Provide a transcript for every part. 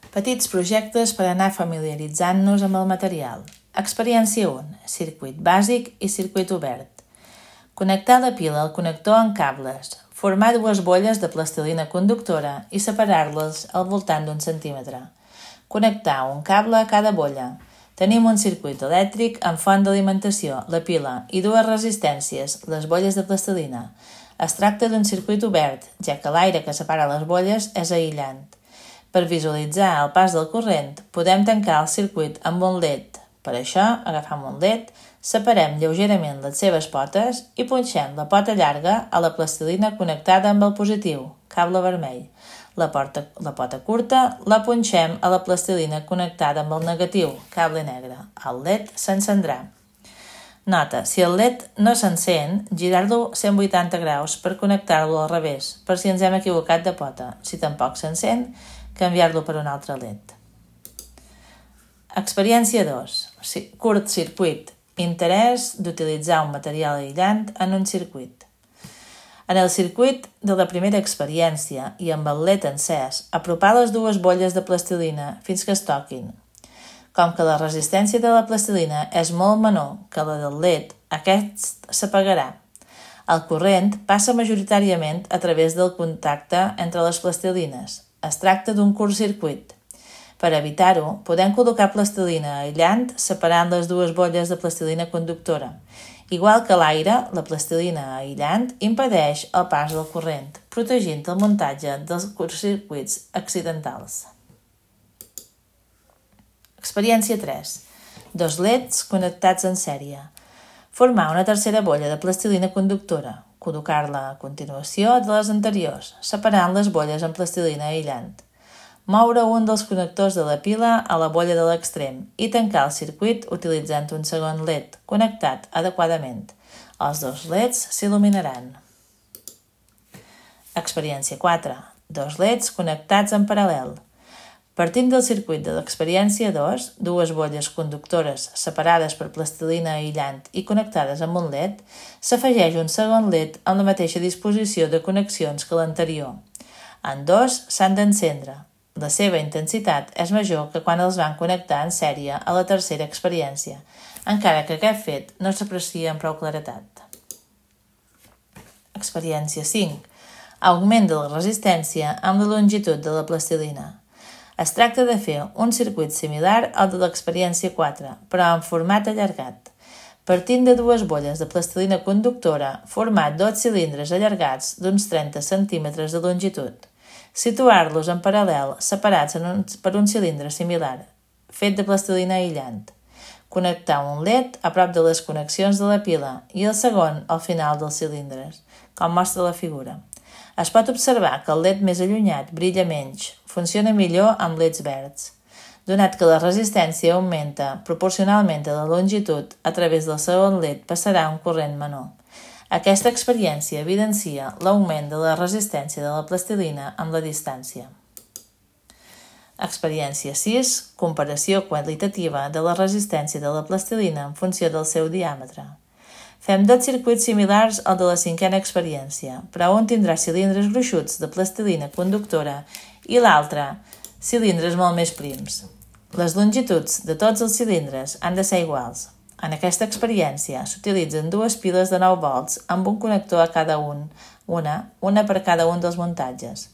Petits projectes per anar familiaritzant-nos amb el material. Experiència 1. Circuit bàsic i circuit obert. Connectar la pila al connector amb cables. Formar dues bolles de plastilina conductora i separar-les al voltant d'1 centímetre. Connectar un cable a cada bolla. Tenim un circuit elèctric amb font d'alimentació, la pila, i dues resistències, les bolles de plastilina. Es tracta d'un circuit obert, ja que l'aire que separa les bolles és aïllant. Per visualitzar el pas del corrent, podem tancar el circuit amb un LED. Per això, agafam un LED, separem lleugerament les seves potes i punxem la pota llarga a la plastilina connectada amb el positiu, cable vermell. La pota curta la punxem a la plastilina connectada amb el negatiu, cable negre. El LED s'encendrà. Nota, si el LED no s'encén, girar-lo 180 graus per connectar-lo al revés, per si ens hem equivocat de pota. Si tampoc s'encén, canviar-lo per un altre LED. Experiència 2. Curt circuit. Interès d'utilitzar un material aïllant en un circuit. En el circuit de la primera experiència i amb el LED encès, apropar les dues bolles de plastilina fins que es toquin. Com que la resistència de la plastilina és molt menor que la del LED, aquest s'apagarà. El corrent passa majoritàriament a través del contacte entre les plastilines. Es tracta d'un curt circuit. Per evitar-ho, podem col·locar plastilina aïllant separant les dues bolles de plastilina conductora. Igual que l'aire, la plastilina aïllant impedeix el pas del corrent, protegint el muntatge dels curtcircuits accidentals. Experiència 3. 2 LEDs connectats en sèrie. Formar una tercera bolla de plastilina conductora. Col·locar-la a continuació de les anteriors, separant les bolles amb plastilina aïllant. Moure un dels connectors de la pila a la bolla de l'extrem i tancar el circuit utilitzant un segon LED connectat adequadament. Els 2 LEDs s'il·luminaran. Experiència 4. 2 LEDs connectats en paral·lel. Partint del circuit de l'experiència 2, dues bolles conductores separades per plastilina aïllant i connectades amb un LED, s'afegeix un segon LED amb la mateixa disposició de connexions que l'anterior. En dos s'han d'encendre. La seva intensitat és major que quan els van connectar en sèrie a la tercera experiència, encara que aquest fet no s'aprecia amb prou claretat. Experiència 5. Augment de la resistència amb la longitud de la plastilina. Es tracta de fer un circuit similar al de l'experiència 4, però en format allargat. Partint de dues bolles de plastilina conductora, format 2 cilindres allargats d'uns 30 centímetres de longitud. Situar-los en paral·lel, separats per un cilindre similar, fet de plastilina aïllant. Connectar un LED a prop de les connexions de la pila i el segon al final dels cilindres, com mostra la figura. Es pot observar que el LED més allunyat brilla menys, funciona millor amb LEDs verds. Donat que la resistència augmenta proporcionalment a la longitud, a través del segon LED passarà un corrent menor. Aquesta experiència evidencia l'augment de la resistència de la plastilina amb la distància. Experiència 6. Comparació qualitativa de la resistència de la plastilina en funció del seu diàmetre. Fem 2 circuits similars al de la 5a experiència, però un tindrà cilindres gruixuts de plastilina conductora i l'altre cilindres molt més prims. Les longituds de tots els cilindres han de ser iguals. En aquesta experiència s'utilitzen 2 piles de 9 volts amb un connector a cada una per cada un dels muntatges.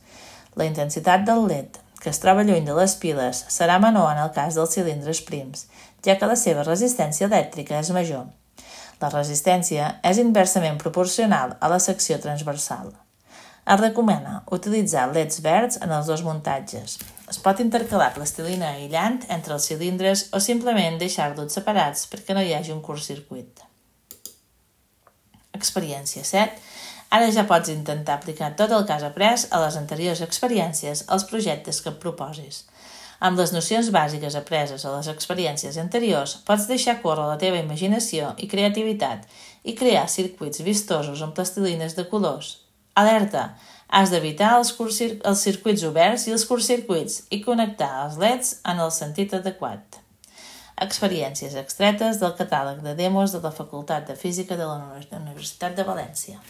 La intensitat del LED, que es troba lluny de les piles, serà menor en el cas dels cilindres prims, ja que la seva resistència elèctrica és major. La resistència és inversament proporcional a la secció transversal. Es recomana utilitzar LEDs verds en els 2 muntatges. Es pot intercalar plastilina aïllant entre els cilindres o simplement deixar-los separats perquè no hi hagi un curtcircuit. Experiència 7. Ara ja pots intentar aplicar tot el que has après a les anteriors experiències als projectes que et proposis. Amb les nocions bàsiques apreses a les experiències anteriors, pots deixar córrer la teva imaginació i creativitat i crear circuits vistosos amb plastilines de colors. Alerta! Has d'evitar els circuits oberts i els curtcircuits i connectar els LEDs en el sentit adequat. Experiències extretes del catàleg de demos de la Facultat de Física de la Universitat de València.